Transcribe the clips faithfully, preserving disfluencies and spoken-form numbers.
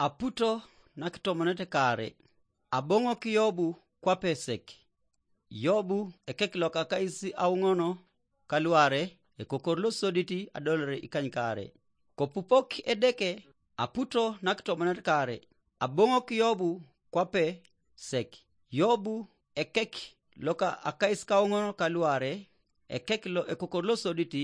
Aputo nakitomonet kaare, aboŋok Yobu kwape sek. Yobu ekek loka kais auŋono kaluare, ekokor losodit adolore ikanykaare. Kopupok Edeke, aputo nakitomonet kaare, aboŋok Yobu kwape sek. Yobu ekek loka akais kauŋono kaluare, ekek lo ekokor losodit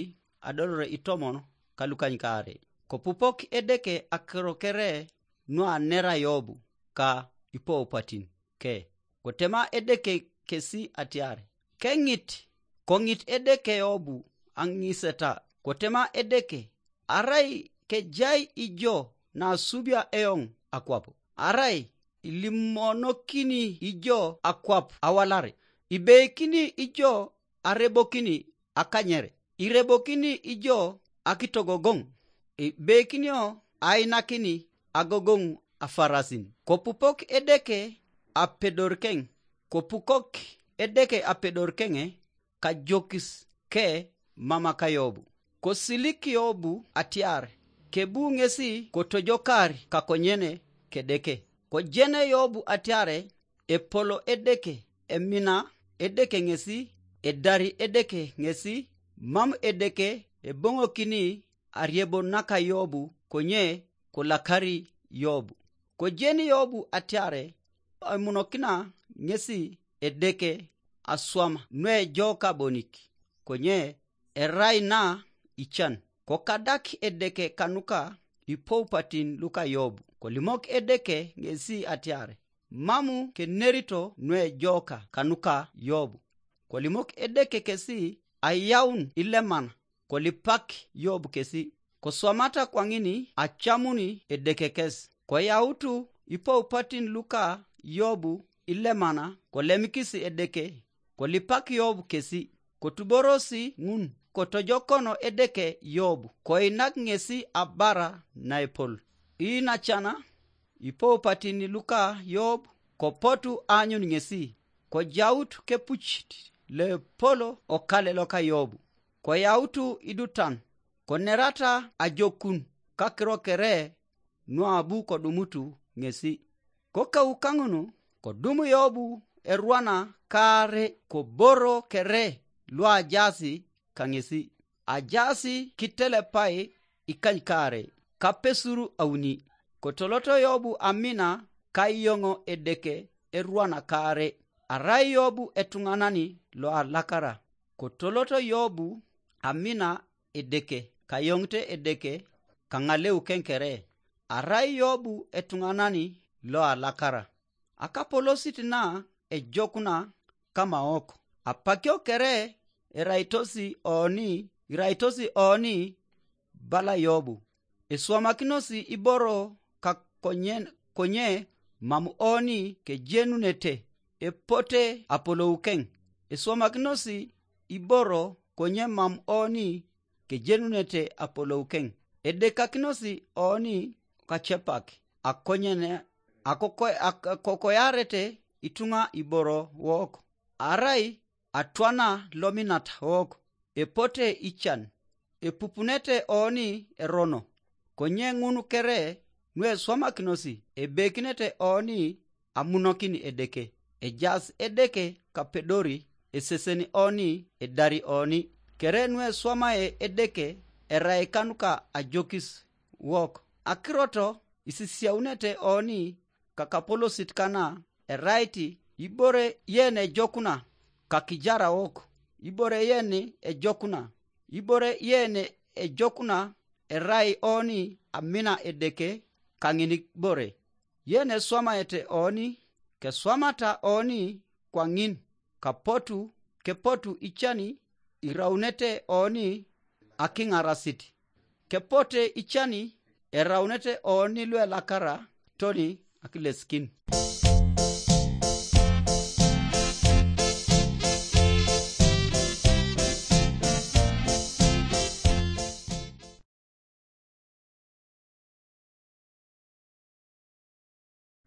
adolore itomon kalukanykaare. Kopupok Edeke akiro kere nuanera Yobu ka ipoupatin ke. Kotema Edeke kesi atiar, keŋit, koŋit Edeke Yobu aŋiseta. Kotema Edeke, arai kejai ijo nasubia eoŋ akwap, arai ilimonokini ijo akwap awalar, ibeikini ijo arebokini akanyere, irebokini ijo akitogogoŋ, ibeikinio ainakini agogoŋ afarasin. Kopupok Edeke apedorkeŋ, kopukok Edeke apedorkeŋe, kajokis ke mama ka Yobu. Kosilik Yobu atiar, kebu ŋesi kotojokar kakonyene kedeke. Kojene Yobu atiare, epolo Edeke, emina Edeke ŋesi, edari Edeke ŋesi, mam Edeke eboŋokini ariebo naka Yobu konye kolakari Yobu. Kojeni Yobu atiare, emunokina ŋesi Edeke aswam nuejoka bonik, konye erai na ican. Kokadak Edeke kanuka ipoupatin luka Yobu, kolimok Edeke ŋesi atiare, mamu kenerito nuejoka kanuka Yobu. Kolimok Edeke kesi ayaun ilemana, kolipak Yobu kesi. Koswamata kwaŋin acamuni Edeke kes. Koyautu ipoupatin luka Yobu ilemana, kolemikis Edeke, kolipak Yobu kesi. Kotuborosi ŋun, kotojokono Edeke Yobu, koinak ŋesi abara naepol. Iinacana ipoupatin luka Yobu, kopotu aanyun ŋesi, kojaut kepucit loepol okale loka Yobu, koyautu idutan, konerata ajokun kakiro kere nuabu kodumutu ŋesi. Kokaukaŋun, kodum Yobu erwana kaare koboro kere luajaasi kaŋesi. Ajaasi kitelepai ikanykaare, kapesur auni. Kotoloto Yobu amina kayoŋo Edeke erwana kaare. Arai Yobu etuŋanani loalakara. Kotoloto Yobu amina Edeke, kayoŋite Edeke kaŋaleu keŋ kere. Arai Yobu etuŋanani loalakara. Akapolosit na ejokuna kamaok. Apakio kere eraitosi oni, iraitosi oni bala Yobu. Eswamakinosi iboro kakonyen, konye mam oni kejenunete epote apoloukeŋ. Eswamakinosi iboro konye mam oni kejenunete apoloukeŋ. Edekakinosi oni kacepak, akonyene, akoko-, ak-, akokoyarete ituŋa iboro wok, arai atwana lominat wok, epote ican, epupunete oni erono. Konye ŋun kere nueswamakinosi, ebekinete oni amunokin Edeke. Ejaas Edeke kapedori, esesen oni, edari oni. Kere nueswamae Edeke erai kanuka ajokis wok. Akiroto isisiaunete oni kakapolosit kana erait ibore yen ejokuna kakijara wok, ibore yen ejokuna, ibore yen ejokuna erai oni amina Edeke kaŋinibore. Yen eswamaete oni, keswamata oni kwaŋin, kapotu, kepotu icani iraunete oni akiŋarasit. Kepote icani eraunete oni luelakara toni akilesikin.